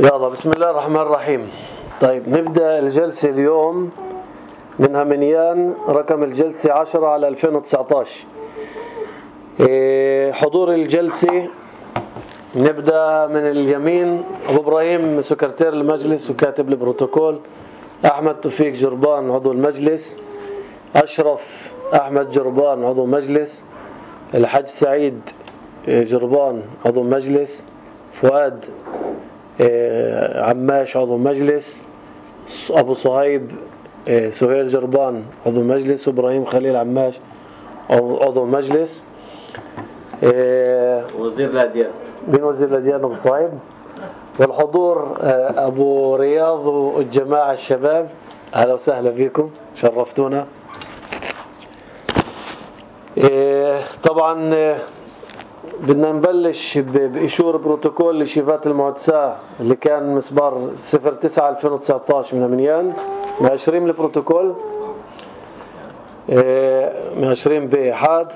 يلا بسم الله الرحمن الرحيم. طيب نبدأ الجلسة اليوم من همنيان، رقم الجلسة 10/2019. حضور الجلسة نبدأ من اليمين: أبو إبراهيم سكرتير المجلس وكاتب البروتوكول، أحمد توفيق جربان عضو المجلس، أشرف أحمد جربان عضو مجلس، الحاج سعيد جربان عضو مجلس، فؤاد عماش عضو مجلس، أبو صهيب سهير جربان عضو مجلس، وإبراهيم خليل عماش عضو مجلس. وزير الأديان. مين وزير الأديان؟ أبو صهيب. والحضور أبو رياض والجماعة الشباب، أهلا وسهلا فيكم، شرفتونا. طبعا بدنا نبلش بإشور بروتوكول لشيفات المعتساة اللي كان مسبار 09/2019 من همنيان. مأشرين البروتوكول، مأشرين بإحاد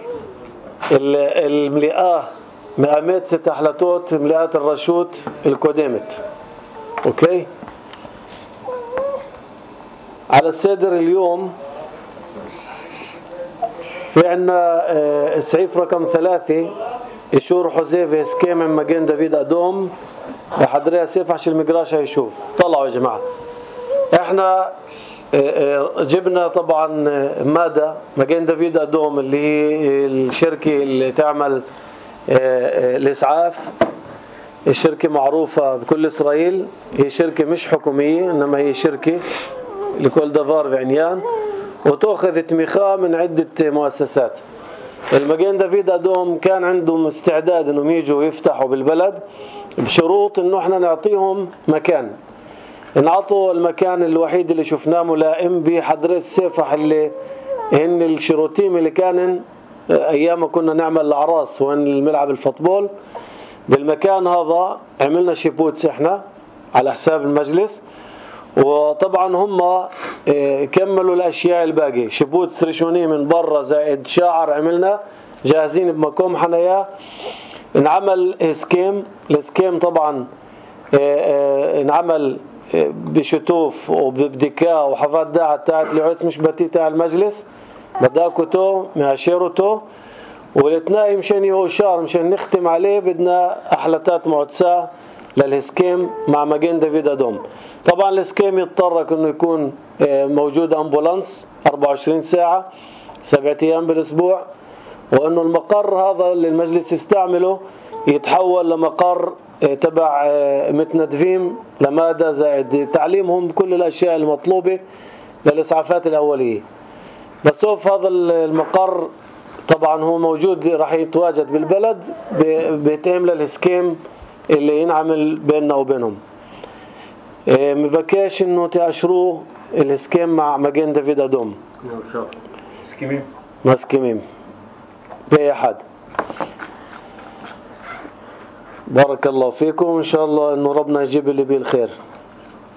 الملئة مقامات 6 حلتوت ملئات الرشوت القدامت. اوكي، على السادر اليوم في عنا السعيف رقم 3 إشور حذيفة سكيم من مجان دافيد أدوم بحضرها سيف عشان المقراش هيشوف. طلعوا يا جماعة، احنا جبنا طبعا مادة مجان دافيد أدوم اللي هي الشركة اللي تعمل الإسعاف، الشركة معروفة بكل إسرائيل، هي شركة مش حكومية إنما هي شركة لكل دفار بعنيان، وتأخذ تميخة من عدة مؤسسات. المجان دافيد أدوم كان عندهم استعداد إنهم يجوا يفتحوا بالبلد بشروط إنه إحنا نعطيهم مكان. نعطوا المكان الوحيد اللي شفناه ملائم بحضر السيفح اللي هن الشروطيم اللي كان أيام ما كنا نعمل الأعراس وين الملعب الفوتبول. بالمكان هذا عملنا شيبوتس إحنا على حساب المجلس، وطبعا هم كملوا الأشياء الباقية، شيبوتس رشوني من برا زائد شاعر عملنا جاهزين بمكوم حنايا. انعمل السكيم طبعا انعمل بشتوف وببدكاء وحفاظ داعة تاعت العرس مش بتي تاع المجلس، بداكوتو مهاشيروتو، والاثنين مشان يوشار مشان نختم عليه بدنا أحلتات معتساة للسكيم مع مجان دافيد أدوم. طبعا السكيم يتطرق انه يكون موجود امبولانس 24 ساعة 7 أيام بالاسبوع، وانه المقر هذا اللي المجلس يستعمله يتحول لمقر تبع متندفين لمادة زائد تعليمهم بكل الاشياء المطلوبة للاسعافات الاولية. بسوف هذا المقر طبعا هو موجود راح يتواجد بالبلد بيتهم للسكيم اللي ينعمل بيننا وبينهم. مبكاش انه تأشروه السكيم مع مجان دافيد أدوم سكيميم بأحد. بارك الله فيكم، ان شاء الله انه ربنا يجيب اللي بيه الخير.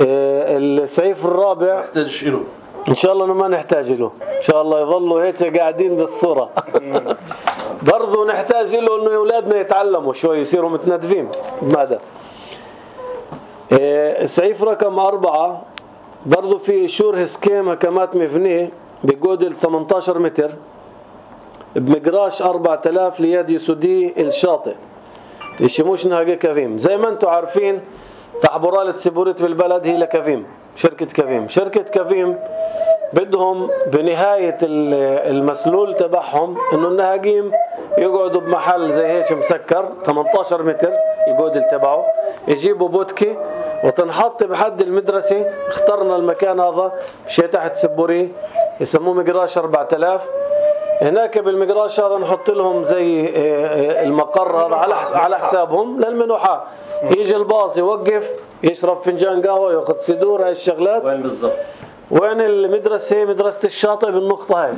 السعيف الرابع ان شاء الله انه ما نحتاج له، ان شاء الله يظلوا هيك قاعدين بالصورة. برضو نحتاج له انه اولادنا يتعلموا شوي يصيروا متندفين بماذا. السعيف رقم 4 برضو في إشور سكيم هكمات مبنية بجودل 18 متر بمقراش 4000 ليد يسودي الشاطئ يشموش نهاجة كفيم. زي ما انتم عارفين تحبرالة سيبوريت بالبلد هي لكفيم، شركة كفيم بدهم بنهاية المسلول تبعهم انه النهاجيم يقعدوا بمحل زي هيك مسكر 18 متر الجودل تبعه، يجيبوا بوتكي وتنحط بحد المدرسة. اخترنا المكان هذا شيء تحت سبوري يسموه مقراش 4000. هناك بالمقراش هذا نحط لهم زي المقر هذا على حسابهم للمنوحة. يجي الباص يوقف يشرب فنجان قهوة ياخذ سدور. هاي الشغلات وين بالضبط؟ وين المدرسة؟ مدرسة الشاطئ بالنقطة هاي.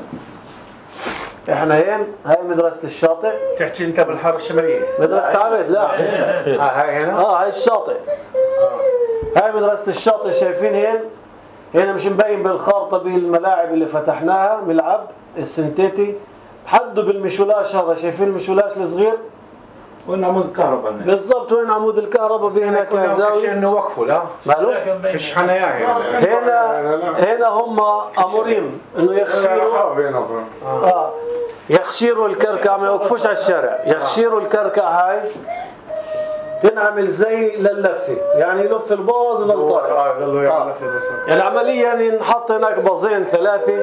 احنا هاي مدرسة الشاطئ. تحكي انت بالحارة الشمالية؟ مدرسة عبيد لا هاي هنا. هاي الشاطئ. هاي مدرسة الشاطئ شايفين هنا مش مبين بالخارطة بالملاعب اللي فتحناها ملعب السنتيتي. حدوا بالمشولاش هذا، شايفين المشولاش الصغير وين عمود الكهرباء هناك؟ بالضبط وين عمود الكهرباء في هناك زاوية انه وقفوا لا ماله؟ فيش حنايا هنا هم امورين انه يخشيروا يخشيروا الكركع، ما يوقفوش على الشارع، يخشيروا الكركع هاي تنعمل زي لللفه، يعني يلف الباص يضل طالع. يعني عمليا ينحط هناك باصين ثلاثه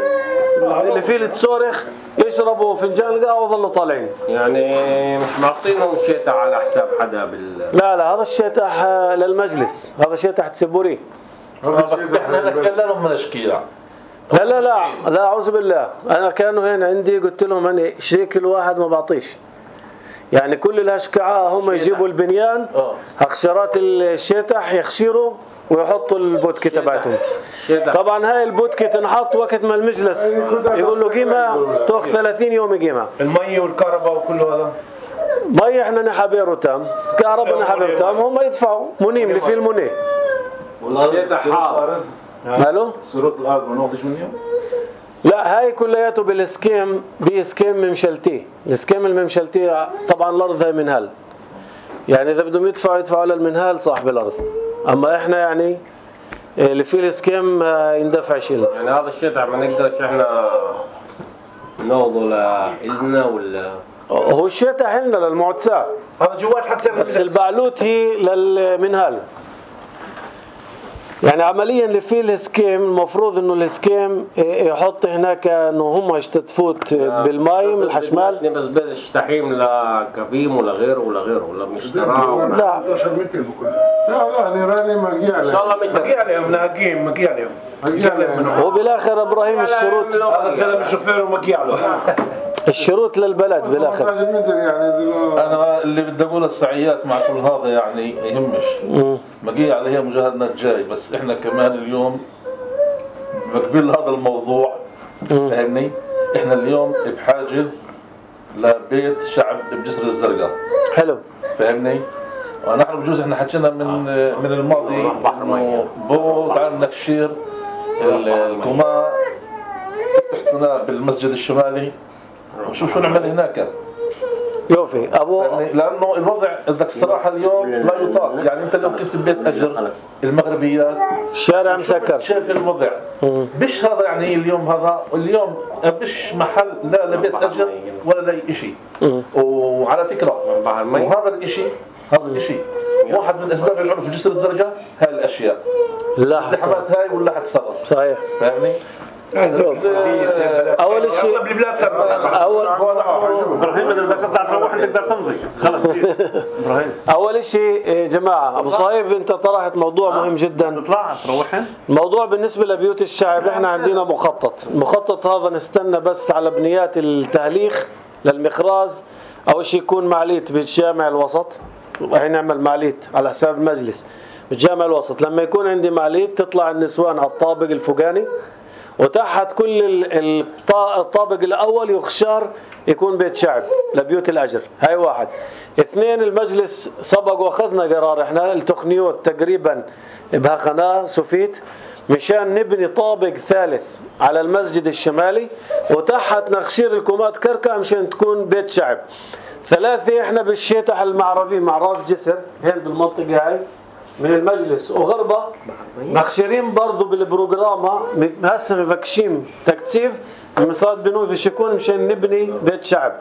اللي فيه التصورخ يشربوا فنجان القهوه ويضلوا طالعين. يعني مش معطينهم شيطة على حساب حدا لا هذا الشيطح للمجلس، هذا شيطح تسبوري. بس احنا نتكلم من اشكيلة. لا اعوذ بالله. انا كانوا هنا عندي قلت لهم انا شيكل واحد ما بعطيش، يعني كل الهشكعاء هم يجيبوا البنيان هخشرات الشيطح يخشيروا ويحطوا البودكة تبعتهم. طبعا هاي البودكة تنحط وقت ما المجلس يقول له قيمة تاخذ 30 يوم قيمة. المي والكهرباء وكل هذا مي احنا نحبيرو تام، كهرباء نحبيرو تام، هم يدفعوا منيم اللي فيه المنيه. الشيطح حاضر ماله؟ صورة الارض ما ناخذش منهم؟ لا هاي كلياته بالاسكيم باسكيم ممشلتي. الاسكيم الممشلتي طبعا الارض هاي منهال، يعني اذا بدهم يدفعوا للمنهال صاحب الارض، اما احنا يعني اللي فيه الاسكيم يندفع شيء. يعني هذا الشيطح ما نقدرش احنا ناخذه لإلنا ولا هو الشيطح عندنا للمعتساه، هذا جوات حتصير بس البعلوت هي للمنهال. يعني عمليا اللي فيه الاسكيم المفروض انه الاسكيم يحط هناك انه هم تفوت بالماء من الحشمال. بس بدش تحريم لكفيم ولا غيره ولا مشتراه لا 11 متر بكل. لا نيراني مقي عليهم. ان شاء الله مقي عليهم ناقين مقي عليهم. وبالاخر ابراهيم الشروط هذا الزلمه الشوفير ومقي عليه. الشروط للبلد بالاخر. انا اللي بدي اقول السعيات مع كل هذا يعني يهمش مقي عليها مجاهدنا الجاي، بس احنا كمان اليوم بقبل هذا الموضوع فهمني. احنا اليوم بحاجه لبيت شعب بجسر الزرقاء. حلو فهمني. ونحن بجوز احنا حكينا من الماضي بو تعال نكشير الكوما تحتنا بالمسجد الشمالي وشوف شو نعمل هناك. يوفي ابو لانه الوضع بدك الصراحه اليوم لا يطاق. يعني انت لو كنت ببيت اجر المغربيات الشارع مسكر شايف الوضع بش هذا. يعني اليوم بش محل لا لبيت اجر ولا لاي شيء. وعلى فكره وهذا الشيء واحد من اسباب العنف في جسر الزرقاء هاي الاشياء. الازدحامات هاي ولا حتصرف صحيح. فاهمني. اول شيء اول شيء جماعه ابو صهيب انت طرحت موضوع مهم جدا. الموضوع بالنسبه لبيوت الشعب احنا عندنا المخطط هذا نستنى بس على بنيات التهليخ للمخراز. اول شيء يكون معليت بالجامع الوسط، راح نعمل معليت على حساب المجلس بالجامع الوسط. لما يكون عندي معليت تطلع النسوان على الطابق الفوقاني، وتحت كل الطابق الأول يخشار يكون بيت شعب لبيوت الأجر. هاي واحد. اثنين المجلس سبق واخذنا قرار احنا التقنيات تقريبا بهقناه سوفيت مشان نبني طابق ثالث على المسجد الشمالي، وتحت نخشير الكومات كركع مشان تكون بيت شعب. ثلاثة احنا بالشيطح المعرفي معراف جسر هين بالمنطقة هاي من المجلس وغربة مخشرين برضو بالبروغراما هسه مبكشين تكثيف المصاد بنوي في الشكون مشان نبني بيت شعب.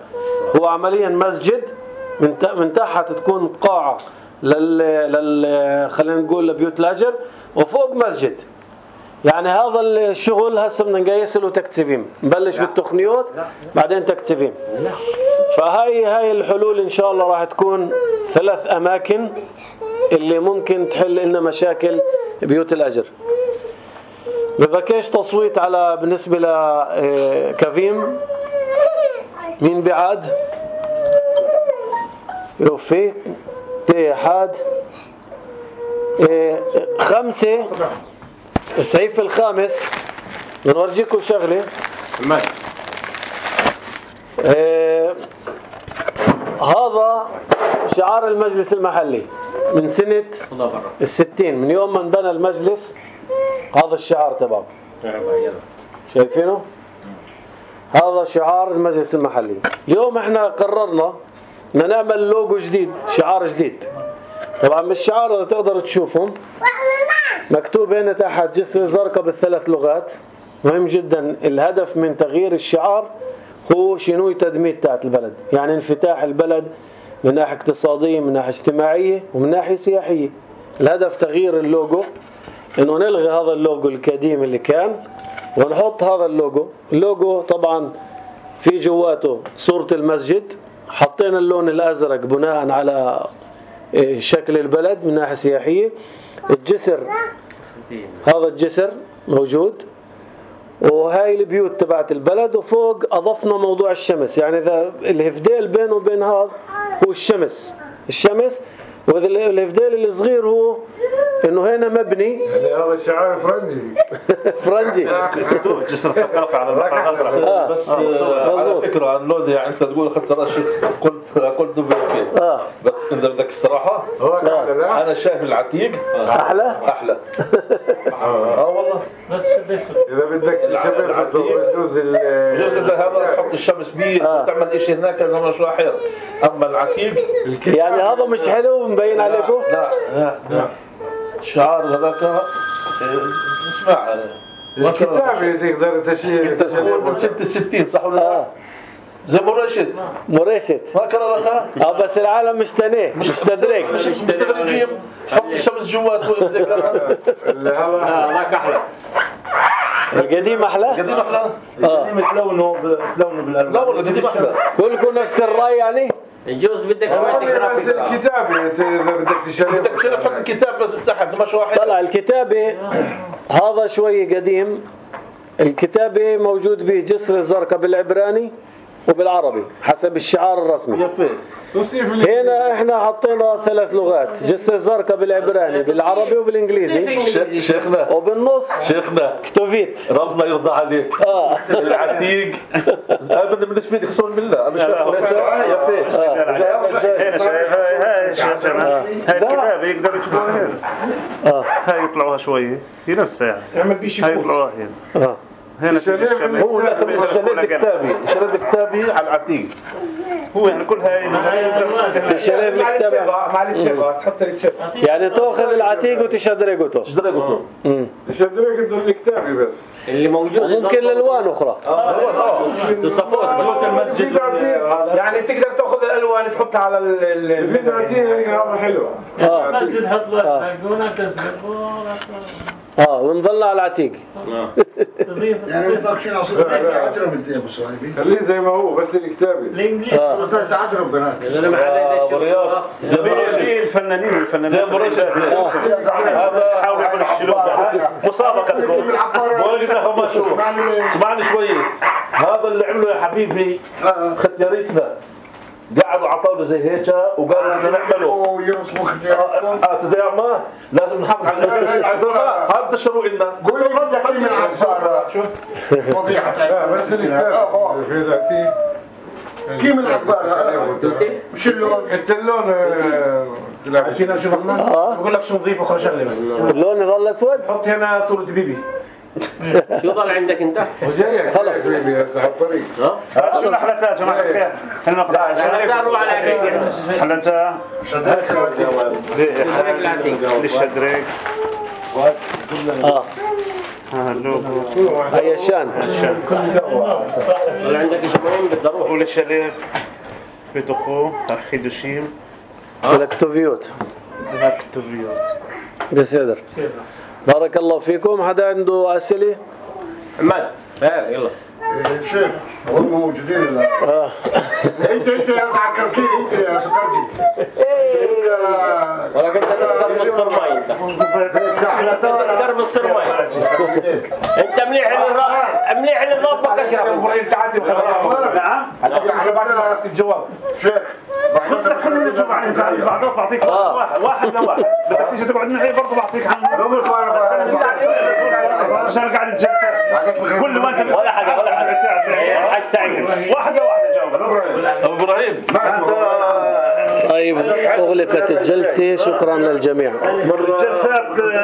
هو عمليا مسجد من تحت تكون قاعة خلينا نقول لبيوت الأجر وفوق مسجد. يعني هذا الشغل هسه بدنا نقيس له تكثيفين، نبلش بالتقنيات بعدين تكثيفين. فهاي الحلول ان شاء الله راح تكون 3 أماكن اللي ممكن تحل لنا مشاكل بيوت الأجر. بذكيش تصويت على بالنسبة لكفيم. مين بعاد؟ يوفي تحاد 5. الصحيفة الخامس بنورجيكم شغلة. هذا شعار المجلس المحلي من سنة 60 من يوم ما انبنى المجلس. هذا الشعار تبعه شايفينه؟ هذا شعار المجلس المحلي. اليوم احنا قررنا بدنا نعمل لوجو جديد، شعار جديد. طبعا بالشعار اللي تقدروا تشوفهم مكتوب هنا تحت جسر الزرقاء بالثلاث لغات. مهم جدا. الهدف من تغيير الشعار هو شنو تدمير تاعت البلد، يعني انفتاح البلد من ناحية اقتصادية، من ناحية اجتماعية، ومن ناحية سياحية. الهدف تغيير اللوجو، انه نلغي هذا اللوجو القديم اللي كان ونحط هذا اللوجو. اللوجو طبعا في جواته صورة المسجد، حطينا اللون الازرق بناء على شكل البلد من ناحية سياحية. الجسر، هذا الجسر موجود، وهاي البيوت تبعت البلد، وفوق أضفنا موضوع الشمس. يعني إذا الهفديل بينه وبين هذا هو الشمس، والهفديل الصغير هو إنه هنا مبني. يعني هذا شعار فرنجي. جسر الثقافة على البحر الأزرق. بس على فكرة عن لودي، يعني أنت تقول أخذت رشة قلت دبي أوكي. بس إذا بدك الصراحة أنا شايف العتيق أحلى. والله. بس إذا بدك تشبه بجوز هذا تحط الشمس بيه وتعمل إشي هناك زي ما شو أحير. أما العتيق يعني هذا مش حلو مبين عليكم؟ لا. الشعار هذاك اسمع الكتابة تقدر تشيل من 66 صح ولا لا؟ زي مرشد فاكر لك؟ بس العالم مش تنيه، مش تدريج، مش تدريجية. حط الشمس جوات هذاك احلى. القديم احلى. القديم تلونه بالالوان. لا والله القديم احلى. كلكم نفس الراي يعني؟ الجوز بدك شوية جرافيك. الكتابة إذا بدك تشيل حط الكتاب بس تحت زي ما شو واحد. طلع الكتابة هذا شوي قديم. الكتابة موجود به جسر الزرقاء بالعبراني وبالعربي حسب الشعار الرسمي. هنا احنا حطينا 3 لغات، جسر الزرقاء بالعبراني بالعربي وبالانجليزي. شيخنا وبالنص شيخنا كتوفيت. ربنا يرضى عليك. العتيق ابدا بالنسبه لي قسما بالله انا شايف يا فيك هنا شايف هاي الكتاب يقدروا يكتبوها هنا. هاي يطلعوها شويه في نفسها. اعمل بيشي هاي يطلعوها هنا. هنا هو شلال كتابي على العتيق. هو يعني كل هاي الشلال الكتابة مع التسبة تحط التسبة. يعني تأخذ العتيق وتشدرقته. تشدرقته الكتابة بس اللي موجود وممكن الألوان أخرى. تصفوت المسجد. يعني تقدر تأخذ الألوان تحطها على الفيديو. هذا حلو. بس تحط له هنا تسبق ونظل على العتيق. يعني بدك شيء عصير ساعات ربنا يا ابو صاحبي. خليه زي ما هو بس الكتابة. الانجليزي ساعات ربنا. برياض زي الفنانين زي مرشد. هذا حاول يكون الشلوك مسابقتكم. وجدنا ما شو اسمعني شويه. هذا اللي عمله يا حبيبي ختياريتنا قعدوا عطاونا زي هيك وقالوا بدنا نعمله ويرسموا ختيارات. ما لازم نحافظ على هذا الشروع لنا. قول لي بدك من عبارة شو فضيحة. بس الكتابة في ذاتي. كيف من عبارة؟ مش اللون. انت اللون عشان شوفنا بقول لك شو نضيف اخر شغله بس اللون يظل اسود. حط هنا صورة بيبي. شو ضل عندك انت؟ وجاي خلص بيبي هسه على الطريق. شو الحلقات يا جماعه الخير؟ حلقات للشدريك. هي الشان. ضل عندك شيء مهم بدي اروح. وللشليف بيت اخوه خيدوشيم. الكتوفيوت. الكتوفيوت. بسيدر. بارك الله فيكم. حدا عنده أسئلة؟ عماد يلا. شيخ هم موجودين الان. انت يا سكرجي. انت يا سكرجي. ولكن انت تسكر بالصر ماي انت. تسكر بالصر ماي. انت مليح للرافق اشرب. نعم. هذا الجواب. شيخ خلينا نشوف عن بعض بعطيك واحد لواحد. بدك تيجي تقعد معي برضه بعطيك عنه. عشان قاعد الجلسه كل ما انت ولا حاجه حاج سعيد واحده جاوب. ابو ابراهيم. طيب أغلقت الجلسة. شكرا للجميع. الجلسات